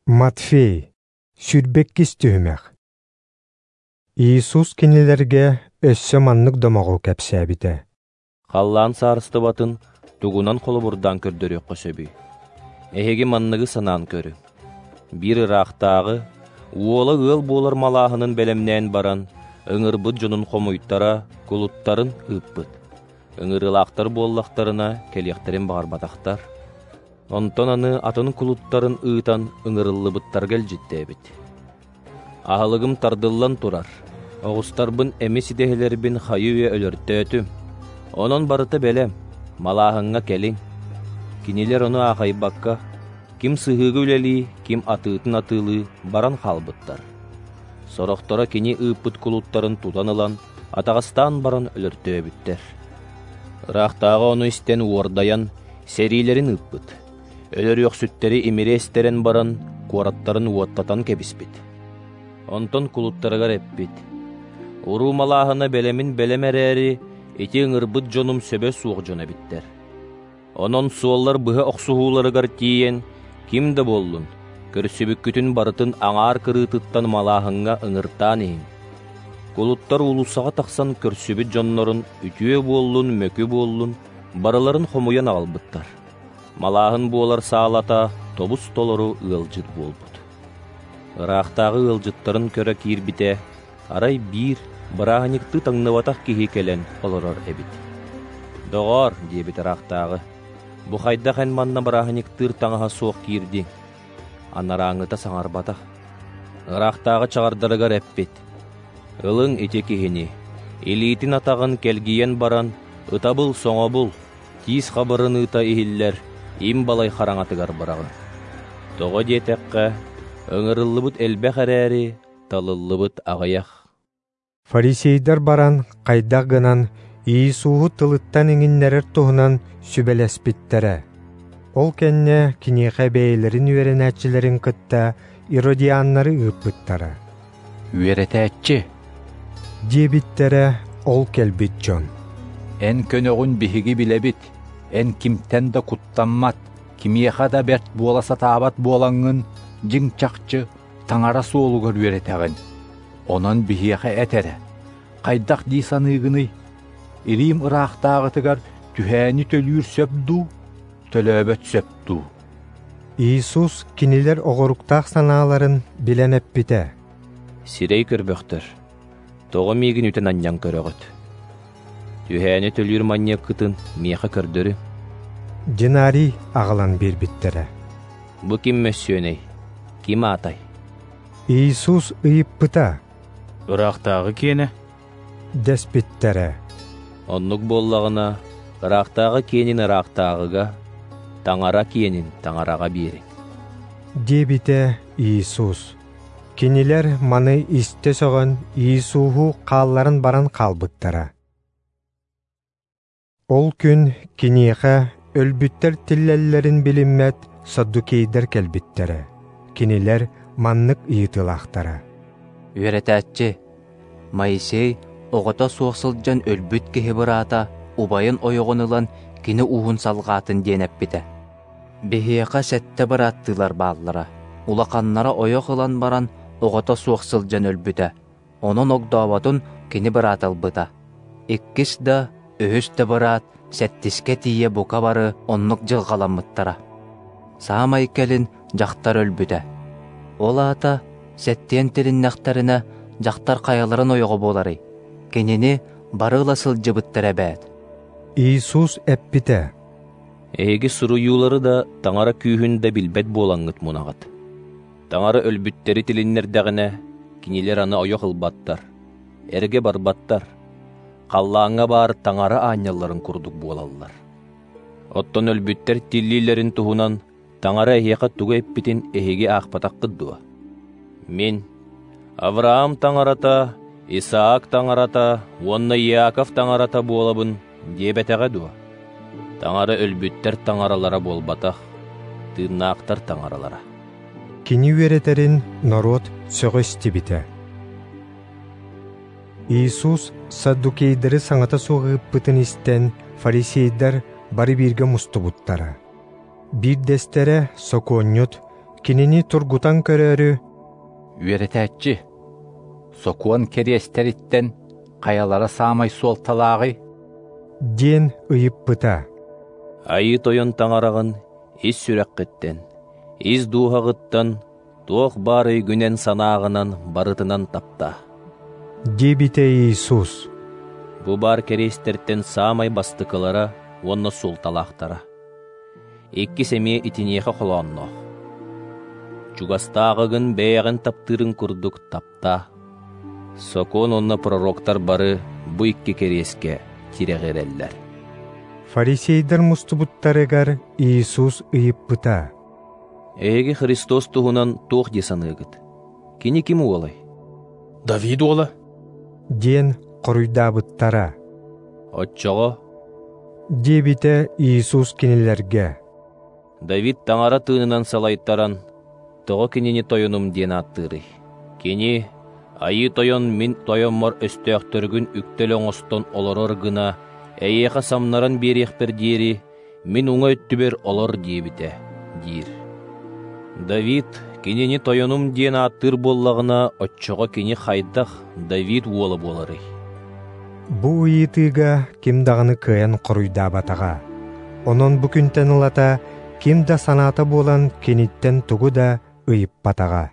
Матфей, 22 түһүмэх. Иисус кинилэргэ өссө маннык домоҕу кэпсээбитэ. Халлаан саарыстыбатын тугунан холобурдаан көрдөрүөххэ сөбүй? Эһиги манныгы санаан көрүҥ. Биир ыраахтааҕы уола ыал буолар малааһынын бэлэмнээн баран, ыҥырбыт дьонун хомуйтара, кулуттарын ыыппыт. Ыҥырыылаахтар буоллахтарына, кэлиэхтэрин баҕарбатахтар. Онтон аны атын кулуттарын ыытан ыҥырыллыбыттарга илдьиттээбит. Аһылыгым тардыллан турар, оҕустарбын эмис идэһэлэрбин хайы-үйэ өлөртөөтүм. Онон барыта бэлэм, малааһыҥҥа кэлиҥ. Кинилэр ону аахайбакка, ким сыһыыга үлэлии, ким атыытын атыылыы баран хаалбыттар. Сорохторо кини ыыппыт кулуттарын тутан ылан, атаҕастаан баран өлөртөөбүттэр. Ыраахтааҕы ону истэн уордайан, сэриилэрин ыыппыт. Өлөрүөхсүттэри имири эстэрэн баран, куораттарын уоттатан кэбиспит. Онтон кулуттарыгар эппит: «Уруу малааһына бэлэмин бэлэм эрээри, ити ыҥырбыт дьонум сөбө суох дьон эбиттэр. Онон суоллар быһа охсуһууларыгар тиийэн, ким да буоллун, көрсүбүккүтүн барытын аҥаар кырыытыттан малааһыҥҥа ыҥыртаан иһиҥ». Кулуттар уулуссаҕа тахсан көрсүбүт дьоннорун үтүө буоллун, мөкү буоллун, барыларын хомуйан аҕалбыттар. Малааһын буолар саалата тобус-толору ыалдьыт буолбут. Ыраахтааҕы ыалдьыттарын көрө киирбитэ, арай биир бырааһынньыктыы таҥныбатах киһи кэлэн олорор эбит. «Доҕоор, – диэбит ыраахтааҕы, – бу хайдах эн манна бырааһынньыктыыр таҥаһа суох киирдиҥ?» Анарааҥҥыта саҥарбатах. Ыраахтааҕы чаҕардарыгар эппит: «Ылыҥ ити киһини, илиитин-атаҕын кэлгийэн баран, ытабыл-соҥобул, тиис хабырыныыта иһиллэр им балай хараҥатыгар быраҕыҥ. Тоҕо диэтэххэ, ыҥырыллыбыт элбэх эрээри, талыллыбыт аҕыйах». Фарисейдар баран хайдах гынан Иисуһу тылыттан иҥиннэрэр туһунан сүбэлэспиттэрэ. Ол кэннэ киниэхэ бэйэлэрин үөрэнээччилэрин кытта иродианнары ыыппыттара. «Үөрэтээччи, диэбиттэрэ ол кэлбит дьон. Эн көнөҕүн биһиги билэбит, эн кимтэн да куттаммат, кимиэхэ да бэрт буола сатаабат буолаҥҥын, дьиҥ-чахчы Таҥара суолугар үөрэтэҕин. Онон биһиэхэ эт эрэ, хайдах дии саныыгыный? Илиим ыраахтааҕытыгар түһээни төлүүр сөп дуу, төлөөбөт сөп дуу?» Иисус кинилэр оҕоруктаах санааларын билэн эппитэ: «Сирэй көрбөхтөр, тоҕо миигин үтэн-анньан көрөҕүт? Түһээни төлүүр манньыаккытын миэхэ көрдөрүҥ». Динарий аҕалан биэрбиттэрэ. «Бу ким мөссүөнэй, ким аатай?» Иисус ыйыппыта. «Ыраахтааҕы киэнэ?» дэспиттэрэ. «Оннук буоллаҕына, ыраахтааҕы киэнин ыраахтааҕыга, Таҥара киэнин Таҥараҕа биэриҥ», диэбитэ Иисус. Кинилэр маны истэ сөҕөн Иисуһу хаалларан баран хаалбыттара. Ол күн киниэхэ өлбүттэр тиллэллэрин билиммэт саддукейдар кэлбиттэрэ. Кинилэр маннык ыйытыылаахтара. «Үөрэтээччи, Моисей оҕото суох сылдьан өлбүт киһи быраата убайын ойоҕун ылан кини ууһун салҕаатын диэн эппитэ. Биһиэхэ 7 бырааттыылар бааллара. Улаханнара ойох ылан баран оҕото суох сылдьан өлбүтэ. Онон огдооботун кини быраата ылбыта. Иккис да, үһүс да быраат сэттискэ тиийэ бука бары оннук дьылҕаламмыттара. Саамай кэлин дьахтар өлбүтэ. Ол аата сэттиэн тилиннэхтэринэ дьахтар хайаларын ойоҕо буоларый? Кинини бары ыла сылдьыбыттар эбээт». Иисус эппитэ: «Эһиги суруйуулары да, Таҥара күүһүн да билбэт буолаҥҥыт мунаҕыт. Таҥара өлбүттэри тилиннэрдэҕинэ, кинилэр аны ойох ылбаттар, эргэ барбаттар, халлааҥҥа баар Таҥара аанньалларын курдук буолаллар. Оттон өлбүттэр тиллиилэрин туһунан Таҥара эһиэхэ тугу эппитин эһиги аахпатаххыт дуо? Мин Авраам Таҥарата, Исаак Таҥарата уонна Иаков Таҥарата буолабын диэбэтэҕэ дуо? Таҥара өлбүттэр таҥаралара буолбатах, тыыннаахтар таҥаралара». Кини үөрэтэрин норуот сөҕө истибитэ. Иисус саддукейдары саҥата суох ыыппытын истэн, фарисейдар бары бииргэ мустубуттара. Биирдэстэрэ сокуонньут, Кинини тургутан көрөөрү, Үөрэтээччи, сокуон кэриэстэриттэн хайалара саамай суолталааҕый? Диэн ыйыппыта. Айыы Тойон Таҥараҕын ис сүрэххиттэн, ис дууһаҕыттан, туох баар өйгүнэн-санааҕынан барытынан таптаа. Диэбитэ Иисус. Бу баар кэриэстэртэн саамай бастакылара уонна суолталаахтара. Иккис эмиэ итиниэхэ холоонноох. Чугастааҕыгын бэйэҕин таптыырын курдук таптаа. Сокуон уонна пророктар бары бу икки кэриэскэ тирэҕирэллэр. Фарисейдар мустубуттарыгар Иисус ыйыппыта. Эһиги Христос туһунан туох дии саныыгыт? Кини ким уолай? Давид уола. Диэн хоруйдаабыттара. Оччоҕо Диэбитэ Иисус кинилэргэ. Давид Таҥара тыынынан салайтаран, тоҕо кинини тойонум диэн ааттыырый? Кини Айыы Тойон мин тойоммор өстөөхтөргүн үктэл оҥостон олорор гына, эйиэхэ самнаран биэриэхпэр диэри, мин уҥа өттүбэр олор диэбитэ, диир. Давид кинини тойонум диэн ааттыыр буоллаҕына, оччоҕо кини хайдах Давид уола буоларый? Бу ыйытыыга ким даҕаны кыайан хоруйдаабатаҕа. Онон бу күнтэн ылата ким да санаата буолан киниттэн тугу да ыйыппатаҕа.